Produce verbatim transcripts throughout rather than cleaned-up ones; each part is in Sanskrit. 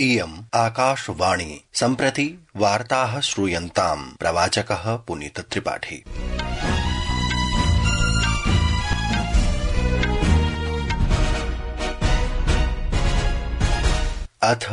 इयम् आकाशवाणी सम्प्रति वार्ताः श्रूयन्ताम् प्रवाचकः पुनीत त्रिपाठी। अथ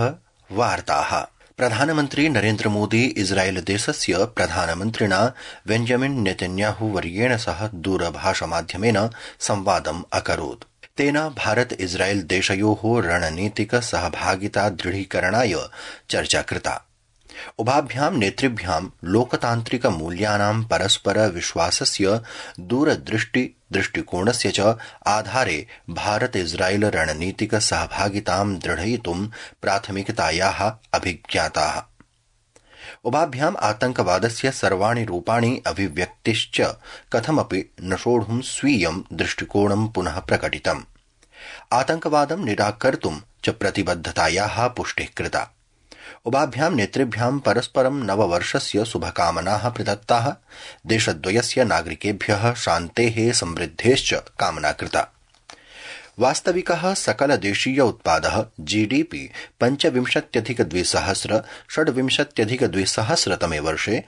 वार्ताः। प्रधानमन्त्री नरेन्द्र मोदी इस्राएल देशस्य प्रधानमन्त्रिणा बेंजामिन नेतन्याहू वर्येण सह दूरभाषमाध्यमेन संवादम् अकरोत्। तेन भारत इस्राएल देशयोः रणनीतिक सहभागिता दृढीकरणाय चर्चा कृता। उभाभ्यां नेतृभ्यां लोकतान्त्रिक मूल्यानां परस्पर विश्वासस्य दूरदृष्टि दृष्टिकोणस्य च आधारे भारत इस्राएल रणनीतिक सहभागितां दृढयितुं प्राथमिकतायाः अभिज्ञाताः। उभाभ्याम् आतंकवादस्य सर्वाणि रूपाणि अभिव्यक्तिश्च कथमपि न सोढुं स्वीयं दृष्टिकोणं पुनः प्रकटितम्। आतंकवादं निराकर्तुं च प्रतिबद्धतायाः पुष्टिः कृता। उभाभ्यां नेतृभ्यां परस्परं नववर्षस्य शुभकामनाः प्रदत्ताः। देशद्वयस्य नागरिकेभ्यः शान्तेः समृद्धेश्च कामना कृता। वास्तविकः सकलदेशीय उत्पादः जीडीपी पञ्चविंशत्यधिक द्विसहस्र षड्विंशत्यधिक द्विसहस्रतमे वर्षे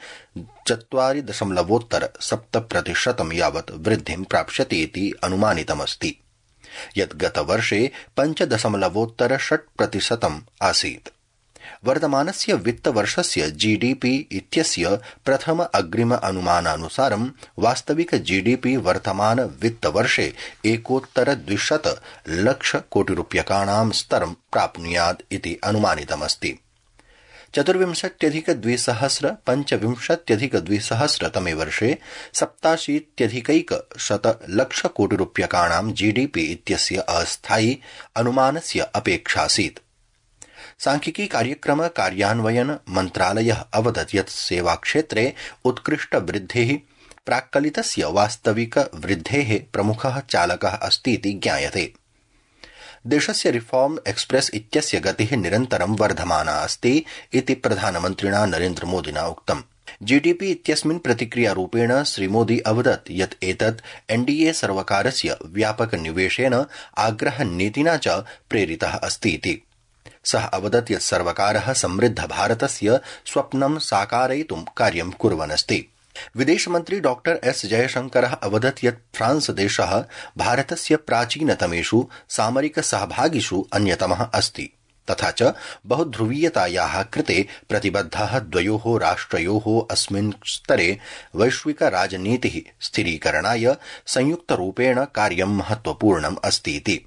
चत्वारि दशमलवोत्तर सप्त प्रतिशतं यावत् वृद्धिं प्राप्स्यति इति अनुमानितमस्ति, यत् गतवर्षे पञ्च दशमलवोत्तर षट् प्रतिशतम् आसीत्। वर्तमानस्य वित्तवर्षस्य जीडीपी इत्यस्य प्रथम अग्रिम अनुमानानुसारं वास्तविक जीडीपी वर्तमान वित्तवर्षे एकोत्तर द्विशत लक्ष कोटि रूप्यकाणां स्तरं प्राप्नुयात् इति अनुमानितमस्ति। चतुर्विंशत्यधिक द्विसहस्र पञ्चविंशत्यधिक द्विसहस्रतमे वर्षे सप्ताशीत्यधिकैक शत लक्ष कोटि रूप्यकाणां जीडीपी इत्यस्य अस्थायी अनुमानस्य अपेक्षासीत्। सांख्यिकी कार्यक्रम कार्यान्वयन मन्त्रालयः अवदत् यत् सेवाक्षेत्रे उत्कृष्ट वृद्धिः प्राक्कलितस्य वास्तविक वृद्धेः प्रमुखः चालकः अस्तीति ज्ञायते। देशस्य रिफॉर्म एक्सप्रेस इत्यस्य गतिः निरन्तरं वर्धमाना अस्ति इति प्रधानमन्त्रिणा नरेन्द्र मोदिना उक्तम्। जीडीपी इत्यस्मिन् प्रतिक्रियारूपेण श्रीमोदी अवदत् यत् एतत् एनडीए सर्वकारस्य व्यापक निवेशेन आग्रहनीतिना च प्रेरितः अस्तीति। सः अवदत् यत् सर्वकारः समृद्ध भारतस्य स्वप्नं साकारयितुं कार्यं कुर्वन्नस्ति। विदेशमन्त्री डॉक्टर एस जयशंकरः अवदत् यत् फ्रांस देशः भारतस्य प्राचीनतमेषु सामरिक सहभागिषु अन्यतमः अस्ति, तथा च बहुध्रुवीयतायाः कृते प्रतिबद्धः द्वयोः राष्ट्रयोः अस्मिन् स्तरे वैश्विक राजनीतिः स्थिरीकरणाय संयुक्तरूपेण कार्यं महत्वपूर्णम् अस्तीति।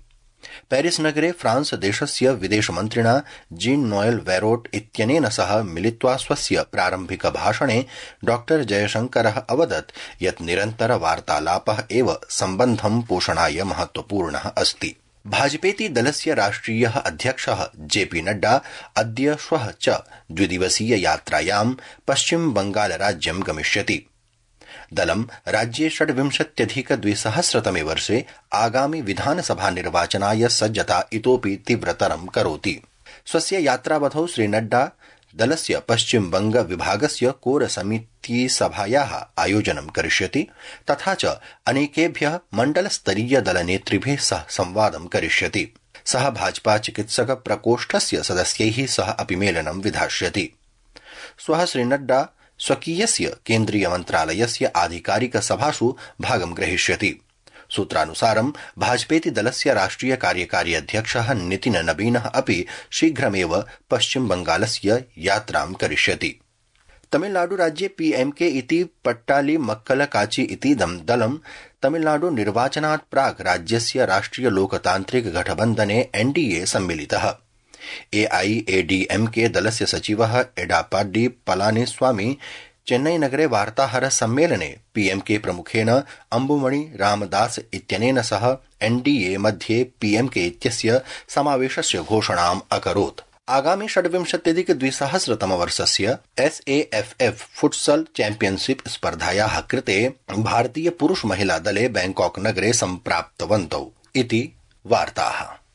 पेरिस नगरे फ्रांस देशस्य विदेशमन्त्रिणा जीन नोएल वेरोट इत्यनेन सह मिलित्वा स्वस्य प्रारम्भिक भाषणे डॉक्टर जयशंकरः अवदत् यत् निरन्तर वार्तालापः एव सम्बन्धं पोषणाय महत्वपूर्णः अस्ति। भाजपेति दलस्य राष्ट्रियः अध्यक्षः जेपी नड्डा अद्य श्वः च द्विदिवसीय यात्रायां पश्चिम बंगाल राज्यं गमिष्यति। दलं राज्ये षड्विंशत्यधिक द्विसहस्रतमे वर्षे आगामि विधानसभा निर्वाचनाय सज्जता इतोपि तीव्रतरं करोति। स्वस्य यात्रावधौ श्रीनड्डा दलस्य पश्चिम बंग विभागस्य कोर समिति सभायाः आयोजनं करिष्यति, तथा च अनेकेभ्यः मण्डलस्तरीय दलनेतृभिः सह संवादं करिष्यति। सः भाजपा चिकित्सक प्रकोष्ठस्य सदस्यैः सह अपि मेलनं विधास्यति। श्वः श्रीनड्डा स्वकीयस्य केन्द्रीय मन्त्रालयस्य आधिकारिक सभासु भागं ग्रहीष्यति। सूत्रानुसारं भाजपेति दलस्य राष्ट्रिय कार्यकारी अध्यक्षः नितिन नबीनः अपि शीघ्रमेव पश्चिम बंगालस्य यात्रां करिष्यति। तमिलनाडु राज्ये पीएमके इति पट्टाली मक्कल काची इतीदं दलं तमिलनाडु निर्वाचनात् प्राक् राज्यस्य राष्ट्रिय लोकतान्त्रिक गठबन्धने एनडीए सम्मिलितः। एआईएडीएमके दलस्य सचिवः एडापाडी पलानीस्वामी चेन्नईनगरे वार्ताहर सम्मेलने पीएमके प्रमुखेन अम्बुमणि रामदास इत्यनेन सह एनडीए मध्ये पीएमके इत्यस्य समावेशस्य घोषणाम् अकरोत्। आगामि षड्विंशत्यधिक द्विसहस्रतमवर्षस्य एसएएफएफ फुटसल चैम्पियनशिप स्पर्धायाः कृते भारतीय पुरुष महिला दले बैंकॉक नगरे सम्प्राप्तवन्तौ इति वार्ताः।